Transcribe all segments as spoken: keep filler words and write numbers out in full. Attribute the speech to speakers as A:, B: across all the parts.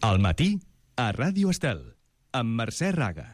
A: Al matí, a Ràdio Estel, amb Mercè Raga.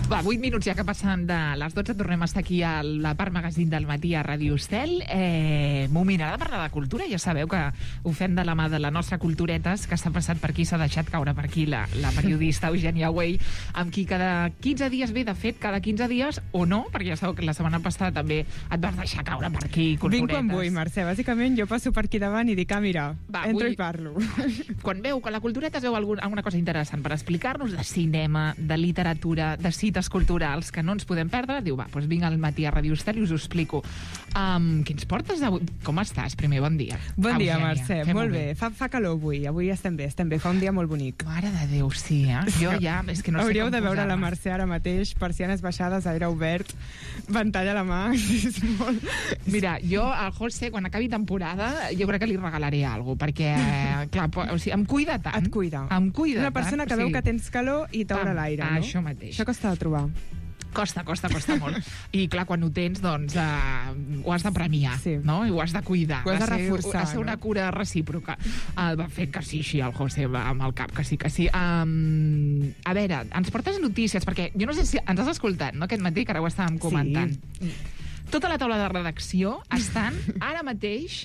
B: Va, vuit minuts ja que passen de les dotze, tornem a estar aquí a la part magazín del matí a Ràdio Estel. Eh, moment, ara de parlar de cultura, ja sabeu que ho fem de la mà de la nostra Culturetes, que s'ha passat per aquí, s'ha deixat caure per aquí la, la periodista Eugènia Güell, amb qui cada quinze dies ve, de fet, cada quinze dies, o no, perquè ja sabeu que la setmana passada també et vas deixar caure per aquí, Culturetes.
C: Vinc quan vull, Mercè. Bàsicament jo passo per aquí davant i dic, ah, mira,
B: Va,
C: entro
B: vull...
C: i parlo.
B: Quan veu que la Culturetes veu algun, alguna cosa interessant per explicar-nos de cinema, de literatura, de cites culturals que no ens podem perdre, diu, va, doncs vinc al matí a Ràdio Estel i us ho explico. Um, què ens portes avui? Com estàs? Primer, bon dia.
C: Bon dia,
B: Eugènia.
C: Mercè.
B: Fem-ho
C: Molt bé. Fa, fa calor avui. Avui estem bé, estem bé. Fa un dia molt bonic.
B: Mare de Déu, sí, eh? Jo ja, és que no sé
C: Hauríeu
B: com
C: de veure
B: posar-me.
C: la Mercè ara mateix, persianes baixades, aire obert, ventall a la mà, és molt...
B: Mira, jo al José, quan acabi temporada, jo crec que li regalaré alguna cosa, perquè, clar, o sigui, em cuida tant.
C: Et cuida.
B: Em cuida
C: Una persona
B: tant,
C: que
B: o
C: veu
B: sigui,
C: que tens calor i t'obre
B: pam,
C: l'aire, no?
B: Això mateix.
C: Això costa de trobar.
B: Costa, costa, costa molt. I clar, quan ho tens, doncs uh, ho has de premiar,
C: Sí.
B: no? I ho has de cuidar.
C: Ho has de
B: Va ser-
C: reforçar,
B: Ha de ser una
C: no?
B: cura recíproca. Uh, va fer que sí, sí, el José va amb el cap, que sí, que sí. Um, a veure, ens portes notícies, perquè jo no sé si ens has escoltat, no?, aquest matí, que ara ho estàvem comentant.
C: Sí.
B: Tota la taula de redacció estan ara mateix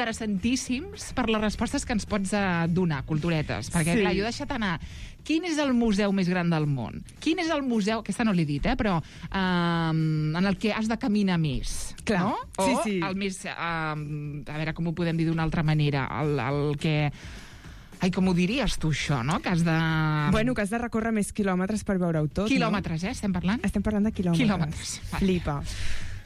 B: interessantíssims per les respostes que ens pots uh, donar, Culturetes. Perquè,
C: Sí.
B: clar, jo he deixat anar quin és el museu més gran del món? Quin és el museu, aquesta no l'he dit, eh, però um, en el que has de caminar més,
C: Clar,
B: no? O
C: sí, sí.
B: el més, um, a veure com ho podem dir d'una altra manera, el, el que... Ai, com ho diries tu, això, no? Que has de...
C: Bueno, que has de recórrer més quilòmetres per veure-ho tot,
B: Quilòmetres, eh, estem parlant?
C: no? Estem parlant de quilòmetres.
B: Quilòmetres, vale.
C: Flipa.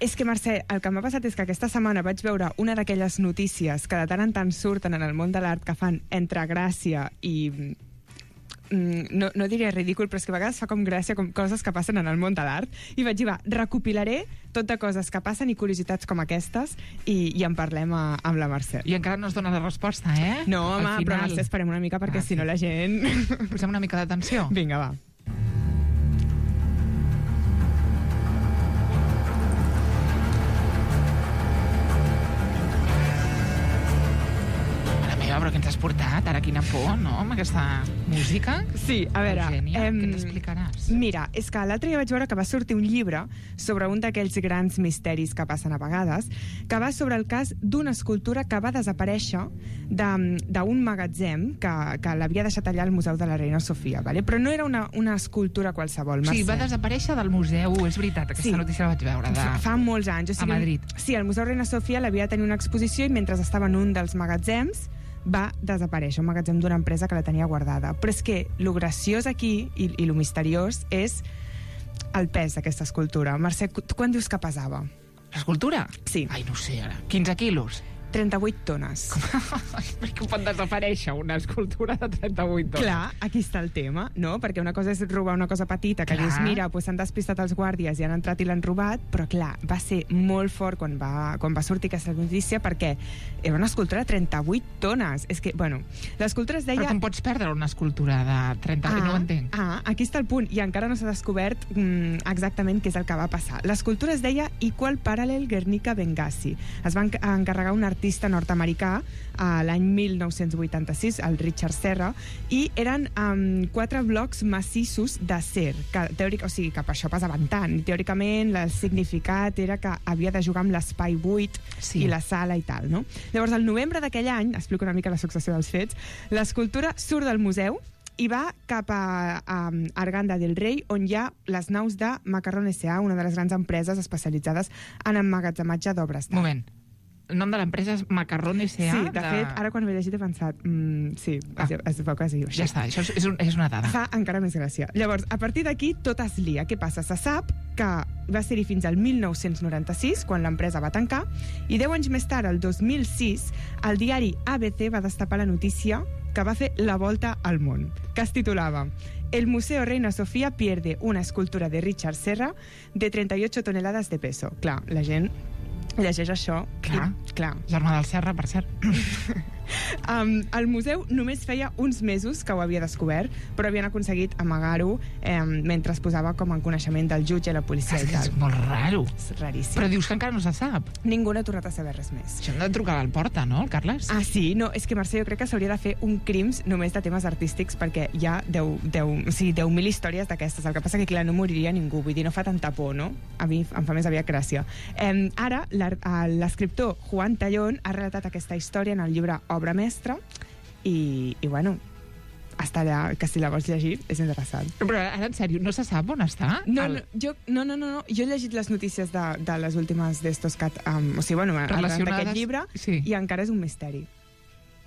C: És que, Mercè, el que m'ha passat és que aquesta setmana vaig veure una d'aquelles notícies que de tant en tant surten en el món de l'art, que fan entre gràcia i... mm, No, no diria ridícul, però és que a vegades fa com gràcia com coses que passen en el món de l'art, i vaig dir, va, recopilaré tot de coses que passen i curiositats com aquestes i, i en parlem a, amb la Mercè.
B: I encara no es dona la resposta, eh?
C: No,
B: Al
C: home, però Mercè, esperem una mica perquè
B: Ah,
C: si no
B: sí.
C: la gent...
B: Posem una mica d'atenció.
C: Vinga, va.
B: Mare meva, però què ens has portat? Ara quina por, no?, amb aquesta música.
C: Sí, a veure...
B: Eugènia,
C: em,
B: què t'explicaràs?
C: Mira, és que l'altre dia vaig veure que va sortir un llibre sobre un d'aquells grans misteris que passen a vegades, que va sobre el cas d'una escultura que va desaparèixer de- d'un magatzem que, que l'havia deixat allà al Museu de la Reina Sofia, vale? Però no era una, una escultura qualsevol,
B: Sí,
C: Mercè.
B: va desaparèixer del museu, és veritat, aquesta
C: Sí.
B: notícia la vaig veure. De...
C: Fa, fa molts anys. O sigui,
B: A Madrid.
C: Sí, el Museu Reina Sofia l'havia de tenir una exposició i mentre estava en un dels magatzems va desaparèixer, un magatzem d'una empresa que la tenia guardada. Però és que lo graciós aquí i, i lo misteriós és el pes d'aquesta escultura. Mercè, tu quan dius que pesava?
B: L'escultura?
C: Sí.
B: Ai, no ho sé, ara. quinze quilos.
C: trenta-vuit tones.
B: Per què pot desaparèixer una escultura de trenta-vuit tones?
C: Clar, aquí està el tema, no? Perquè una cosa és robar una cosa petita, que
B: Clar.
C: dius, mira, pues s'han despistat els guàrdies i han entrat i l'han robat, però clar, va ser molt fort quan va, quan va sortir aquesta notícia, perquè era una escultura de trenta-vuit tones. És que, bueno, l'escultura es deia...
B: Però com pots perdre una escultura de trenta-vuit? No ho entenc.
C: Ah, aquí està el punt, i encara no s'ha descobert mm, exactament què és el que va passar. L'escultura es deia Equal Parallel Guernica Benghazi. Es va enc- encarregar un artista nord-americà a l'any mil nou-cents vuitanta-sis, el Richard Serra, i eren um, quatre blocs massissos d'acer, que teòric, o sigui, que per això pesaven tant. I teòricament el significat era que havia de jugar amb l'espai buit
B: Sí.
C: i la sala i tal, no? Llavors, al novembre d'aquell any, explico una mica la successió dels fets, l'escultura surt del museu i va cap a, a Arganda del Rei, on hi ha les naus de Macarron S A, una de les grans empreses especialitzades en emmagatzematge d'obres d'art.
B: Moment. El nom de l'empresa és Macarron S A.
C: Sí, de fet, ara quan ho he llegit he pensat, mm, sí,
B: Ah.
C: es, es veu que es diu així.
B: Ja està, això és, és, un, és una dada.
C: Fa encara més gràcia. Llavors, a partir d'aquí, tot es lia. Què passa? Se sap que va ser-hi fins al mil nou-cents noranta-sis, quan l'empresa va tancar, i deu anys més tard, el dos mil sis, el diari A B C va destapar la notícia que va fer la volta al món, que es titulava El Museo Reina Sofía pierde una escultura de Richard Serra de trenta-ocho toneladas de peso. Clar, la gent llegeix això.
B: Clar.
C: I, clar.
B: Germà del Serra, per cert.
C: Um, el museu només feia uns mesos que ho havia descobert, però havien aconseguit amagar-ho eh, mentre es posava com en coneixement del jutge i la policia i tal.
B: És molt raro.
C: És raríssim.
B: Però dius que encara no se sap.
C: Ningú n'ha tornat a saber res més.
B: Això hem de trucar al Porta, no, el Carles?
C: Ah, sí? No, és que, Mercè, jo crec que s'hauria de fer un crims només de temes artístics, perquè hi ha deu, deu, o sigui, deu mil històries d'aquestes. El que passa que, clar, no moriria ningú, vull dir, no fa tanta por, no? A mi em fa més aviat gràcia. Eh, ara, l'escriptor Juan Tallón ha relatat aquesta història en el llibre Obra Mestra, i, i bueno, està allà, que si la vols llegir és interessant.
B: Però ara, en sèrio, no se sap on està?
C: No,
B: el...
C: no, jo, no, no, no, no, jo he llegit les notícies de, de les últimes d'estos que... Um, o sigui, bueno, d'aquest llibre,
B: sí.
C: I encara és un misteri.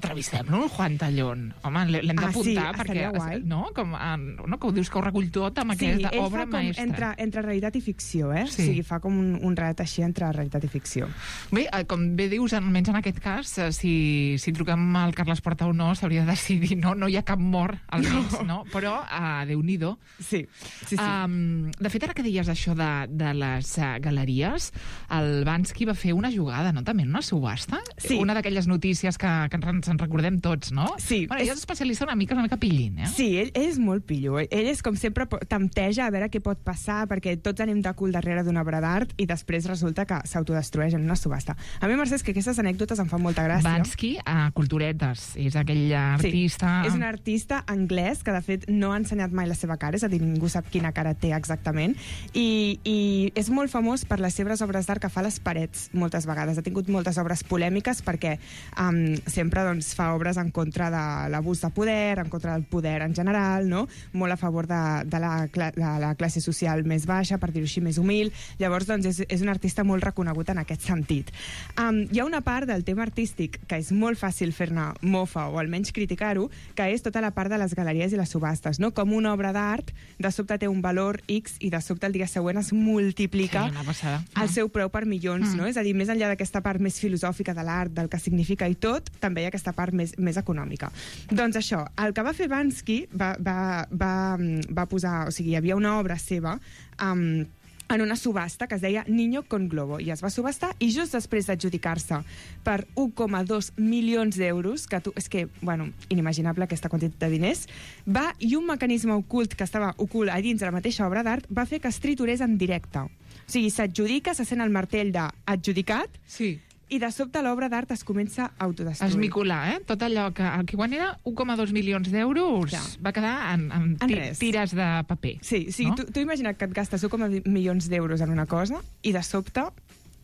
B: Entrevistem-lo, Juan Tallón. Home, l'hem d'apuntar,
C: ah, sí,
B: perquè... No? Com, no? Que ho dius que ho recull tot amb
C: sí,
B: aquesta obra maestra.
C: Entre, entre realitat i ficció, eh?
B: Sí.
C: O sigui, fa com un, un relat així entre realitat i ficció.
B: Bé, com bé dius, almenys en aquest cas, si, si truquem al Carles Porta o no, s'hauria de decidir, no? No hi ha cap mort al mig, no. no? Però, uh, Déu-n'hi-do.
C: Sí, sí, sí.
B: Um, de fet, ara que deies això de, de les uh, galeries, el Bansky va fer una jugada, no? També en una subhasta?
C: Sí. Una
B: d'aquelles notícies que, que ens en recordem tots, no?
C: Sí.
B: Bueno, ell és especialista una mica, una mica pillín, eh?
C: Sí, ell, ell és molt pillo. Ell és, com sempre, tempteja a veure què pot passar, perquè tots anem de cul darrere d'una obra d'art i després resulta que s'autodestrueix en una subhasta. A mi, Mercè, és que aquestes anècdotes em fan molta gràcia.
B: Bansky, a Culturetes, és aquell artista...
C: Sí, és un artista anglès que, de fet, no ha ensenyat mai la seva cara, és a dir, ningú sap quina cara té exactament, i, i és molt famós per les seves obres d'art que fa a les parets moltes vegades. Ha tingut moltes obres polèmiques perquè um, sempre doncs, fa obres en contra de l'abús de poder, en contra del poder en general, no? Molt a favor de, de, la, de la classe social més baixa, per dir-ho així, més humil. Llavors, doncs, és, és un artista molt reconegut en aquest sentit. Um, hi ha una part del tema artístic que és molt fàcil fer-ne mofa o almenys criticar-ho, que és tota la part de les galeries i les subhastes, no? Com una obra d'art de sobte té un valor X i de sobte el dia següent es multiplica
B: sí,
C: el seu preu per milions,
B: mm.
C: no? És a dir, més enllà d'aquesta part més filosòfica de l'art, del que significa i tot, també hi ha aquesta part més, més econòmica. Doncs això, el que va fer Bansky va, va, va, va posar, o sigui, hi havia una obra seva um, en una subhasta que es deia Niño con Globo, i es va subhastar, i just després d'adjudicar-se per un coma dos milions d'euros, que tu, és que, bueno, inimaginable aquesta quantitat de diners, va, i un mecanisme ocult que estava ocult a dins de la mateixa obra d'art va fer que es triturés en directe. O sigui, s'adjudica, se sent el martell d'adjudicat,
B: sí.
C: I de sobte l'obra d'art es comença a autodestruir.
B: Esmicolar, eh? Tot allò que, el que quan era un coma dos milions d'euros ja. va quedar en, en,
C: en
B: ti,
C: res.
B: tires de paper.
C: Sí, sí, no? tu, tu imagina't que et gastes un coma milions d'euros en una cosa i de sobte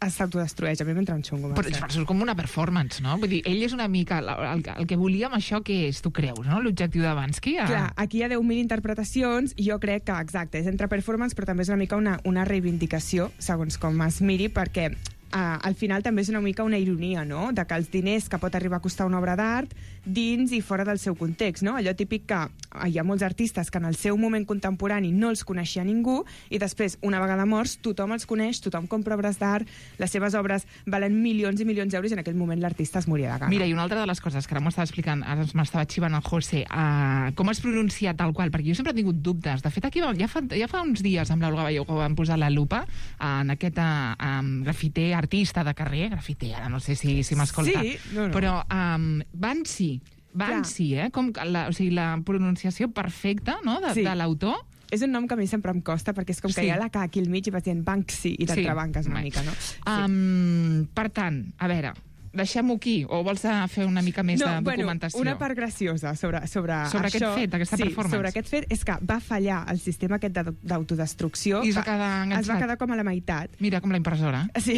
C: s'autodestrueix. A mi m'entra un xungo.
B: Però és com una performance, no? Vull dir, ell és una mica... El, el que volia amb això, que és, tu creus, no? L'objectiu de Bansky? A...
C: Clar, aquí hi ha deu mil interpretacions i jo crec que, exacte, és entre performance, però també és una mica una, una reivindicació, segons com es miri, perquè Uh, al final també és una mica una ironia, no?, de que els diners que pot arribar a costar una obra d'art dins i fora del seu context, no? Allò típic que uh, hi ha molts artistes que en el seu moment contemporani no els coneixia ningú i després, una vegada morts, tothom els coneix, tothom compra obres d'art, les seves obres valen milions i milions d'euros i en aquell moment l'artista es moria de gana.
B: Mira, i una altra de les coses que ara m'ho estava explicant, ara m'estava xivant el José, uh, com es pronuncia tal qual, perquè jo sempre he tingut dubtes. De fet, aquí ja fa, ja fa uns dies amb l'Olga Balló que vam posar la lupa uh, en aquest uh, um, grafiter artista de carrer, grafiter, ara no sé si, si m'escolta,
C: sí, no, no.
B: però um, Bansky, Bansky, eh? Com la, o sigui, la pronunciació perfecta, no?, de, sí. de l'autor.
C: És un nom que a mi sempre em costa, perquè és com que sí. hi ha la K aquí al mig i vas dient Banksy i t'entrebanques sí. una mica, no? Sí.
B: Um, per tant, a veure, deixem-ho aquí, o vols fer una mica més no, de documentació?
C: Bueno, una part graciosa sobre, sobre,
B: sobre
C: això,
B: aquest fet, aquesta
C: sí,
B: performance.
C: sobre aquest fet és que va fallar el sistema aquest d'autodestrucció.
B: I es va quedar enganxat.
C: Es va quedar com a la meitat.
B: Mira, com la impressora.
C: Sí,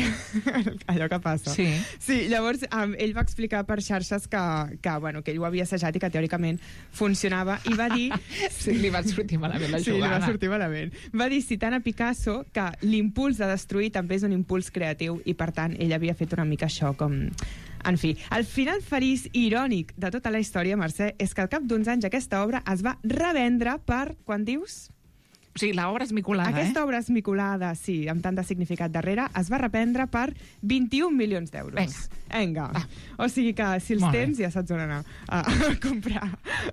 C: allò que passa.
B: Sí.
C: Sí, llavors um, ell va explicar per xarxes que, que, bueno, que ell ho havia assajat i que teòricament funcionava, i va dir...
B: sí, li va sortir malament la jugada.
C: Sí, li va sortir malament. Va dir, citant a Picasso, que l'impuls de destruir també és un impuls creatiu i, per tant, ell havia fet una mica això com... En fi, el final feliç i irònic de tota la història, Mercè, és que al cap d'uns anys aquesta obra es va revendre per, quan dius?
B: O sigui, l'obra esmicolada,
C: Aquesta
B: eh?
C: obra esmicolada, sí, amb tant de significat darrere, es va reprendre per vint-i-un milions d'euros.
B: Vinga.
C: Vinga.
B: Va.
C: O sigui que, si els
B: Molt bé.
C: tens, ja saps on anar a, a, comprar,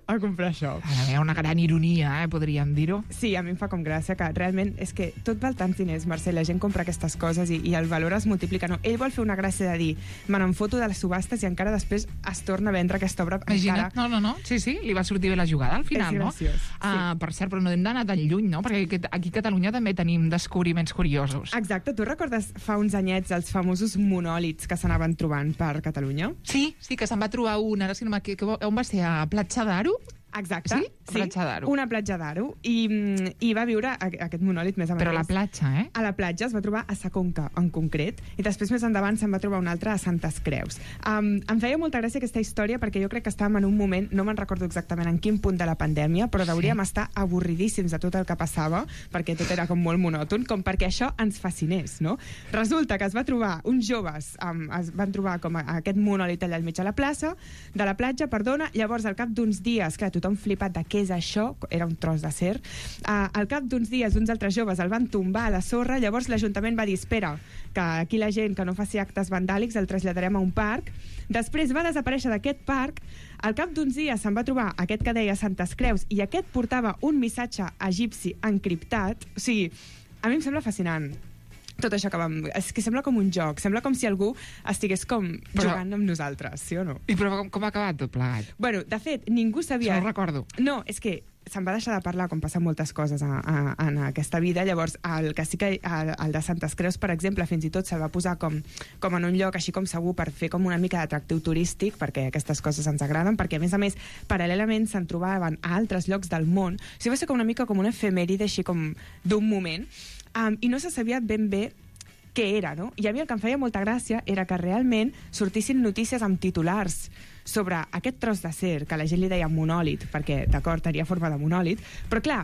C: a comprar això.
B: Hi ha una gran ironia, eh, podríem dir-ho.
C: Sí, a mi em fa com gràcia que realment és que tot val tants diners, Mercè, la gent compra aquestes coses i, i el valor es multiplica. No, ell vol fer una gràcia de dir, me n'en foto de les subhastes i encara després es torna a vendre aquesta obra.
B: Imagina't,
C: encara...
B: no, no, no, sí, sí, li va sortir bé la jugada al final,
C: És
B: no?
C: graciós, sí.
B: Uh, per cert, però no hem d'anar tan lluny, no? Perquè aquí- aquí a Catalunya també tenim descobriments curiosos.
C: Exacte, tu recordes fa uns anyets els famosos monòlits que s'anaven trobant per Catalunya?
B: Sí, sí, que se'n va trobar un, ara sí, no m'equi- que, on va ser? A Platja d'Aro?
C: Exacte.
B: Sí? Platja d'Aro.
C: Una platja d'Aro. I, mm, I va viure a- aquest monòlit més o menys.
B: Però a la platja, eh?
C: A la platja es va trobar a Sa Conca, en concret, i després més endavant se'n va trobar un altre a Santes Creus. Um, em feia molta gràcia aquesta història perquè jo crec que estàvem en un moment, no me'n recordo exactament en quin punt de la pandèmia, però hauríem
B: Sí.
C: estar avorridíssims de tot el que passava, perquè tot era com molt monòton, com perquè això ens fascinés, no? Resulta que es va trobar uns joves, um, es van trobar com a, aquest monòlit allà al mig de la plaça, de la platja, perdona, llavors al cap d'uns dies, clar, tothom flipat de què és això, era un tros d'acer, uh, al cap d'uns dies uns altres joves el van tombar a la sorra, llavors l'Ajuntament va dir, espera, que aquí la gent que no faci actes vandàlics el traslladarem a un parc. Després va desaparèixer d'aquest parc, al cap d'uns dies se'n va trobar aquest que deia Santes Creus i aquest portava un missatge egipci encriptat. O sigui, a mi em sembla fascinant tot això que vam... És que sembla com un joc, sembla com si algú estigués com
B: Però-
C: jugant amb nosaltres, sí o no?
B: I però com, com ha acabat tot plegat?
C: Bueno, de fet, ningú sabia...
B: Això no ho recordo.
C: No, és que se'n va deixar de parlar com passen moltes coses a, a, en aquesta vida. Llavors, el que sí que el, el de Santes Creus, per exemple, fins i tot se'l va posar com, com en un lloc així com segur per fer com una mica d'atractiu turístic, perquè aquestes coses ens agraden, perquè a més a més, paral·lelament se'n trobaven a altres llocs del món. O sigui, va ser com una mica com una efemèride així com d'un moment, um, i no se sabia ben bé què era, no? I a mi el que em feia molta gràcia era que realment sortissin notícies amb titulars sobre aquest tros d'acer, que la gent li deia monòlit, perquè, d'acord, tenia forma de monòlit, però clar,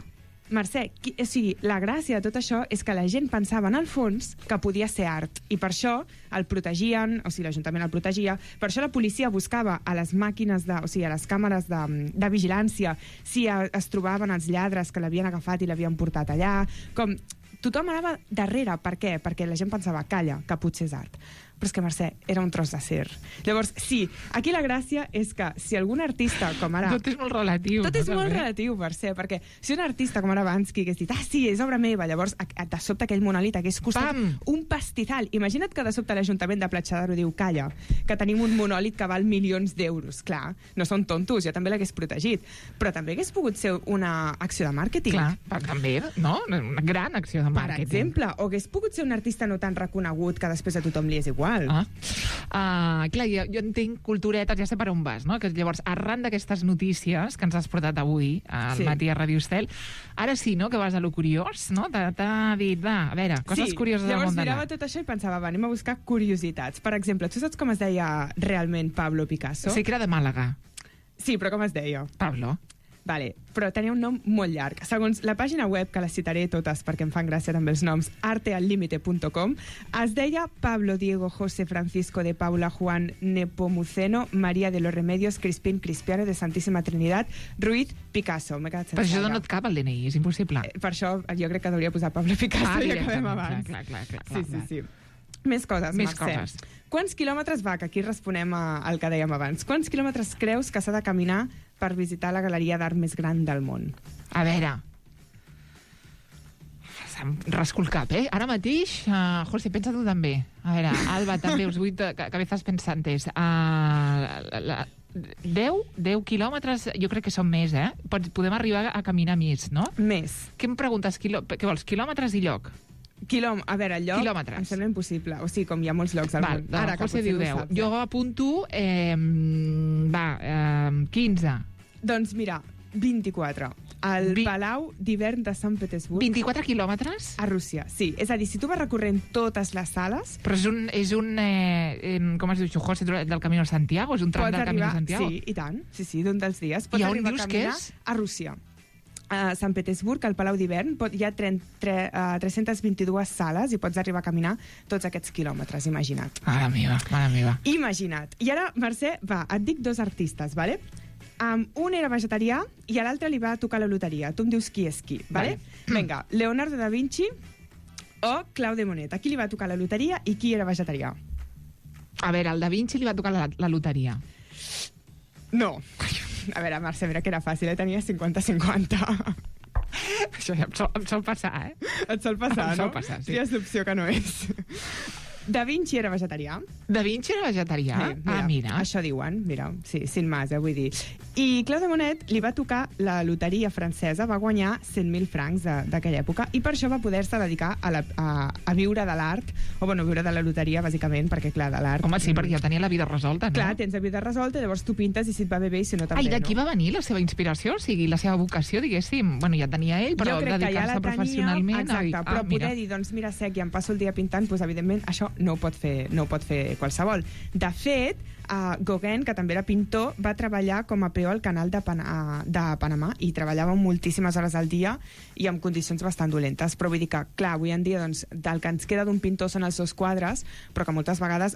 C: Mercè, qui, o sigui, la gràcia de tot això és que la gent pensava en el fons que podia ser art, i per això el protegien, o sigui, l'Ajuntament el protegia, per això la policia buscava a les màquines, de, o sigui, a les càmeres de, de vigilància si a, es trobaven els lladres que l'havien agafat i l'havien portat allà, com... Tothom anava darrere. Per què? Perquè la gent pensava, calla, que potser és art. Però és que, Mercè, era un tros d'acer. Llavors, sí, aquí la gràcia és que si algun artista, com ara...
B: Tot és molt relatiu.
C: Tot és
B: no,
C: molt
B: també?
C: relatiu, Mercè, perquè si un artista com ara Bansky hagués dit, ah, sí, és obra meva, llavors a- a- de sobte aquell monòlit hagués costat
B: Pam!
C: un pastizal. Imagina't que de sobte l'Ajuntament de Platja d'Aro diu, calla, que tenim un monòlit que val milions d'euros. Clar, no són tontos, jo també l'hagués protegit. Però també hagués pogut ser una acció de màrqueting.
B: Clar, però també, no? Una gran acció de
C: Per
B: màrqueting.
C: exemple, o hagués pogut ser un artista no tan reconegut que després a tothom li és igual.
B: Ah. Uh, clar, jo, jo entenc culturetes, ja sé per on vas, no? Que llavors, arran d'aquestes notícies que ens has portat avui al
C: Sí.
B: matí a Ràdio Estel, ara sí, no?, que vas a lo curiós, no? T'ha t'ha dit, va, a veure, coses
C: sí,
B: curioses del
C: llavors
B: món de
C: mirava
B: l'art.
C: tot això i pensava, va, anem a buscar curiositats. Per exemple, tu saps com es deia realment Pablo Picasso?
B: Sí que era de Màlaga.
C: Sí, però com es deia?
B: Pablo.
C: Vale, però tenia un nom molt llarg. Segons la pàgina web, que les citaré totes perquè em fan gràcia també els noms, arteallimite punt com, es deia Pablo Diego José Francisco de Paula Juan Nepomuceno María de los Remedios Crispín Crispiano de Santíssima Trinitat Ruiz Picasso. M'he quedat sense
B: Però això
C: aire.
B: no et cap al D N I, és impossible.
C: Eh, Per això jo crec que hauria posar Pablo Picasso
B: Ah,
C: i acabem
B: directament,
C: abans.
B: clar, clar, clar,
C: Sí,
B: clar,
C: sí,
B: clar.
C: sí. Més coses,
B: Més
C: Mercè.
B: coses.
C: Quants quilòmetres va, que aquí responem a, al que dèiem abans, quants quilòmetres creus que s'ha de caminar per visitar la galeria d'art més gran del món?
B: A veure... Se'm rasco el cap, eh? Ara mateix, uh, José, pensa tu també. A veure, Alba, també, us vull que, que estàs pensantes. Uh, la, la, deu, deu quilòmetres, jo crec que són més, eh? Pots, podem arribar a caminar més, no?
C: Més.
B: Què em preguntes? Quilò, què vols, quilòmetres i lloc?
C: Quilòm a veure, el lloc
B: Quilòmetres.
C: em sembla impossible. O sigui, com hi ha molts llocs al
B: Val,
C: món.
B: Ara,
C: que
B: José
C: potser
B: diu
C: no ho
B: deu.
C: saps,
B: Jo
C: eh?
B: apunto, eh, va, eh, quinze.
C: Doncs mira, vint-i-quatre. Al
B: Vi-
C: Palau d'Hivern de Sant Petersburg,
B: vint-i-quatre quilòmetres?
C: a Rússia. Sí, és a dir, si tu vas recorrent totes les sales,
B: Però és un, és un eh, eh, com es diu això, José, del Camino de Santiago? És un tram
C: pots
B: del Camino de
C: arribar...
B: Santiago?
C: Sí, i tant. Sí, sí, d'un dels dies. Pots
B: I on
C: arribar
B: dius
C: a
B: que
C: caminar
B: és?
C: a Rússia. A Sant Petersburg, al Palau d'Hivern, pot- hi ha tre, tre, uh, tres-centes vint-i-dues sales i pots arribar a caminar tots aquests quilòmetres, imagina't.
B: Mare meva, mare meva.
C: Imagina't. I ara, Mercè, va, et dic dos artistes, vale? Um, un era vegetarià i a l'altre li va tocar la loteria. Tu em dius qui és qui, vale?
B: Vale.
C: Vinga, Leonardo da Vinci o Claude Monet. A qui li va tocar la loteria i qui era vegetarià?
B: A veure, al Da Vinci li va tocar la, la loteria.
C: No. A veure, Mercè, mira que era fàcil, eh? Tenia cinquanta cinquanta.
B: Això ja em sol, em sol passar, eh?
C: Et sol passar,
B: Em sol
C: no?
B: passar, sí.
C: Tries l'opció que no és. Da Vinci era vegetarià.
B: Da Vinci era vegetarià?
C: Sí, mira,
B: Ah, mira.
C: Això diuen, mira, sí, sin más, eh, vull dir. I Claude Monet li va tocar la loteria francesa, va guanyar cent mil francs de- d'aquella època, i per això va poder-se dedicar a, la, a, a viure de l'art, o bueno, viure de la loteria, bàsicament, perquè, clar, de l'art...
B: Home, sí, perquè ja tenia la vida resolta, no?
C: Clar, tens la vida resolta, llavors tu pintes i si et va bé bé i si no també,
B: Ah, i d'aquí
C: no?
B: va venir la seva inspiració? O sigui, la seva vocació, diguéssim. Bueno, ja tenia ell, però
C: jo crec que ja
B: dedicar-se
C: la tenia,
B: professionalment...
C: exacte,
B: ah,
C: però
B: mira.
C: poder dir, doncs mira, sec, i em passo el dia pintant, doncs evidentment això no ho pot fer, no ho pot fer qualsevol. De fet, uh, Gauguin, que també era pintor, va treballar com a peó al canal de, Pan uh, de Panamà i treballava moltíssimes hores al dia i amb condicions bastant dolentes, però vull dir que, clar, avui en dia doncs, del que ens queda d'un pintor són els seus quadres, però que moltes vegades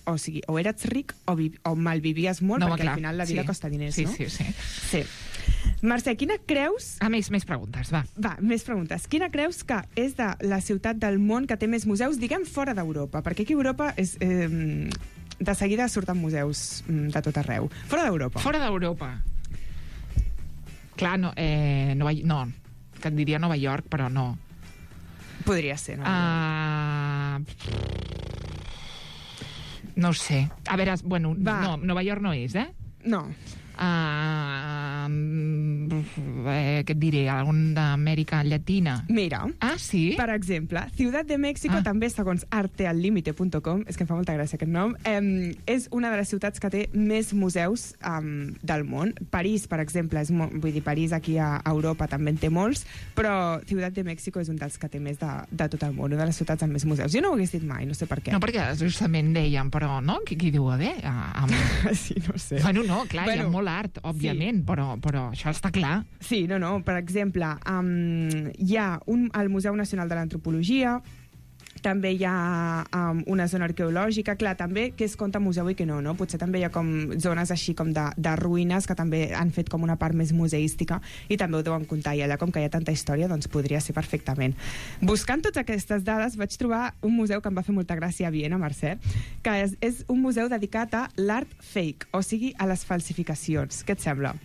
C: o sigui, o eres ric o, vi o malvivies molt,
B: No,
C: perquè
B: clar,
C: al final la vida
B: sí.
C: costa diners,
B: sí,
C: no?
B: Sí, sí,
C: Sí. Mercè, quina creus...
B: Ah, més, més preguntes, va.
C: Va, més preguntes. Quina creus que és de la ciutat del món que té més museus, diguem, fora d'Europa? Perquè aquí a Europa és, eh, de seguida surten museus mm, de tot arreu. Fora d'Europa.
B: Fora d'Europa. Clar, no, eh, Nova, no, que et diria Nova York, però no.
C: Podria ser, no?
B: Uh, no ho sé. A veure, bueno,
C: Va.
B: no, Nova York no és, eh?
C: No.
B: Uh, eh, què et diré? Algun d'Amèrica Llatina?
C: Mira,
B: Ah, sí?
C: per exemple, Ciutat de México,
B: Ah.
C: també segons arteallimite punt com, és que em fa molta gràcia aquest nom, eh, és una de les ciutats que té més museus eh, del món. París, per exemple, és mo- vull dir, París aquí a Europa també en té molts, però Ciutat de México és un dels que té més de, de tot el món, una de les ciutats amb més museus. Jo no ho hagués dit mai, no sé per què.
B: No, perquè justament deien, però, no? Qui, qui diu a bé? A, a...
C: Sí, no sé.
B: Bueno, no, clar, bueno, hi
C: Bueno,
B: ha molt art, òbviament, sí. però, però això està clar.
C: Sí, no, no. Per exemple, um, hi ha un, el Museu Nacional de l'Antropologia, també hi ha um, una zona arqueològica, clar, també què es compta museu i què no, no? Potser també hi ha com zones així com de, de ruïnes que també han fet com una part més museística i també ho deuen comptar, i allà com que hi ha tanta història, doncs podria ser perfectament. Buscant totes aquestes dades vaig trobar un museu que em va fer molta gràcia a Viena, Mercè, que és, és un museu dedicat a l'art fake, o sigui, a les falsificacions. Què et sembla?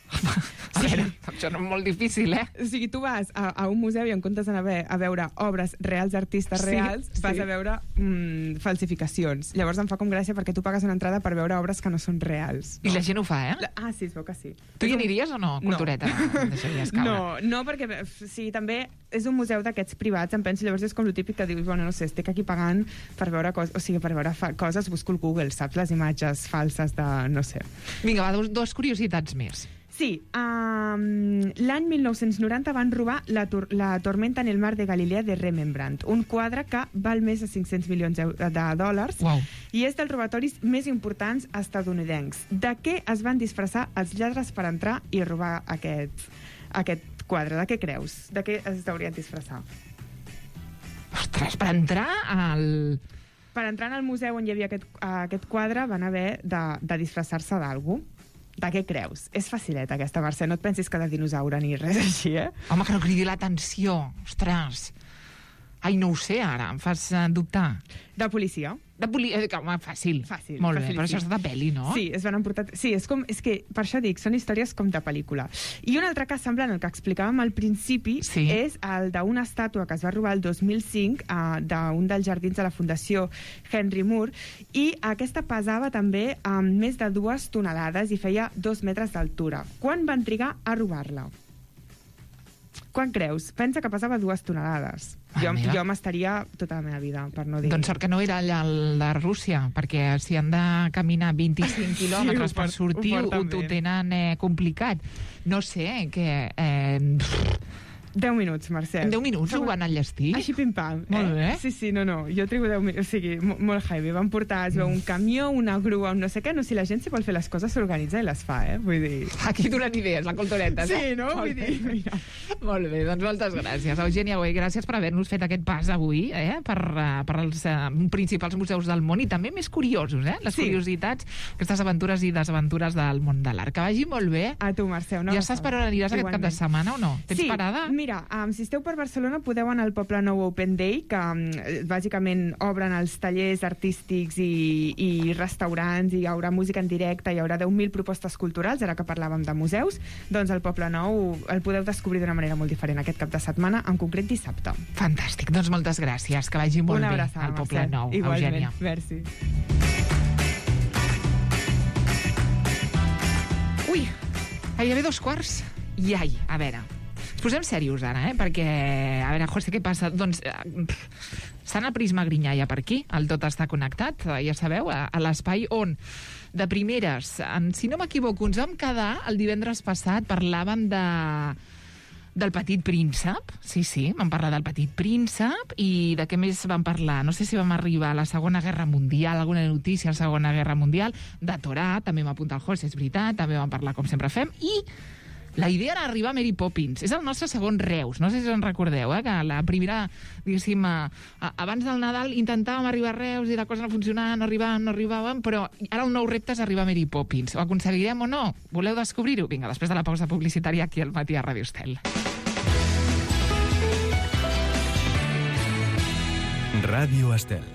B: A veure, això no és molt difícil, eh?
C: O sigui, tu vas a, a un museu i en comptes d'anar a, ve- a veure obres reals d'artistes
B: Sí,
C: reals, vas
B: sí.
C: a veure mm, falsificacions. Llavors em fa com gràcia perquè tu pagues una entrada per veure obres que no són reals.
B: I la gent ho fa, eh?
C: La, ah, sí, es veu que sí.
B: Tu hi aniries o no, cultureta? No. Em deixaries caure.
C: No, no, perquè f- sí, també és un museu d'aquests privats, em penso, llavors és com el típic que dius, bueno, no sé, estic aquí pagant per veure coses, o sigui, per veure fa coses, busco al Google, saps? Les imatges falses de, no sé.
B: Vinga, va, dos, dos curiositats més.
C: Sí, um, l'any mil nou-cents noranta van robar la, tor la Tormenta en el mar de Galilea de Rembrandt, un quadre que val més de cinc-cents milions de, de dòlars
B: Uau.
C: i és dels robatoris més importants estadounidencs. De què es van disfressar els lladres per entrar i robar aquest, aquest quadre? De què creus? De què es deurien disfressar?
B: Ostres, per entrar al...
C: Per entrar al museu on hi havia aquest, aquest quadre van haver de, de disfressar-se d'algú. De què creus? És facileta aquesta, Mercè. No et pensis que de dinosaure ni res així, eh?
B: Home, que no cridi l'atenció. Ostres. Ai, no ho sé, ara. Em fas eh, dubtar.
C: De policia.
B: De poli... eh, Home, fàcil.
C: Fàcil,
B: Molt bé,
C: facilíssim.
B: però això és de pel·li, no?
C: Sí, es van emportar... Sí, és, com, és que, per això dic, són històries com de pel·lícula. I un altre cas semblant al que explicàvem al principi
B: Sí.
C: és el d'una estàtua que es va robar el dos mil cinc uh, d'un dels jardins de la Fundació Henry Moore, i aquesta pesava també amb més de dues tonelades i feia dos metres d'altura. Quan van trigar a robar-la? Quan creus? Pensa que pesava dues tonelades.
B: Ah,
C: jo
B: mira.
C: jo m'estaria tota la meva vida, per no dir...
B: Doncs sort que no era allà el de Rússia, perquè si han de caminar vint-i-cinc quilòmetres
C: ho
B: per
C: port-
B: sortir,
C: ho
B: ho,
C: porten
B: ho
C: bé.
B: tenen eh, complicat. No sé, que... Eh,
C: deu minuts, Mercè.
B: En deu minuts ho van enllestir?
C: Així pim-pam.
B: Molt bé.
C: Sí, sí, no, no, jo trigo deu minuts, o sigui, mo- molt heavy. Van portar, es veu un camió, una grua, un no sé què, no, si la gent si vol fer les coses s'organitza i les fa, eh? Vull dir...
B: Aquí donen idees, la cultureta.
C: Sí, no?
B: Molt
C: Vull
B: bé.
C: dir, mira.
B: Molt bé, doncs moltes gràcies. Eugènia Güell, gràcies per haver-nos fet aquest pas avui, eh? per, uh, per als uh, principals museus del món i també més curiosos, eh? Les
C: Sí.
B: curiositats, aquestes aventures i desaventures del món de l'art. Que vagi molt bé.
C: A tu, Mercè, una
B: Ja saps per on aniràs aquest cap de setmana o no? Tens
C: sí,
B: parada?
C: Mira, um, si esteu per Barcelona podeu anar al Poble Nou Open Day, que um, bàsicament obren els tallers artístics i, i restaurants, i hi haurà música en directe, hi haurà deu mil propostes culturals, ara que parlàvem de museus, doncs el Poble Nou el podeu descobrir d'una manera molt diferent aquest cap de setmana, en concret dissabte.
B: Fantàstic, doncs moltes gràcies. Que vagi molt
C: Una
B: bé
C: abraçada,
B: al Poble
C: Mercè.
B: Nou,
C: Igualment,
B: Eugènia.
C: merci.
B: Ui, gairebé dos quarts. I ai, a veure, ens posem serios ara, eh? Perquè, a veure, José, què passa? Doncs, eh, estan a Prisma Grinyà ja per aquí, el tot està connectat, eh, ja sabeu, a, a l'espai on, de primeres, en, si no m'equivoco, ens vam quedar el divendres passat, parlàvem de del Petit Príncep, sí, sí, vam parlar del Petit Príncep, i de què més vam parlar? No sé si vam arribar a la Segona Guerra Mundial, alguna notícia a la Segona Guerra Mundial, de Torà, també m'apunta el José, és veritat, també vam parlar com sempre fem, i la idea era arribar a Mary Poppins. És el nostre segon Reus, no sé si us en recordeu, eh? Que la primera, diguéssim, a, a, abans del Nadal intentàvem arribar a Reus i la cosa no funcionava, no arribàvem, no arribàvem, però ara el nou repte és arribar a Mary Poppins. Ho aconseguirem o no? Voleu descobrir-ho? Vinga, després de la pausa publicitària aquí al Matí a Ràdio Estel.
A: Ràdio Estel.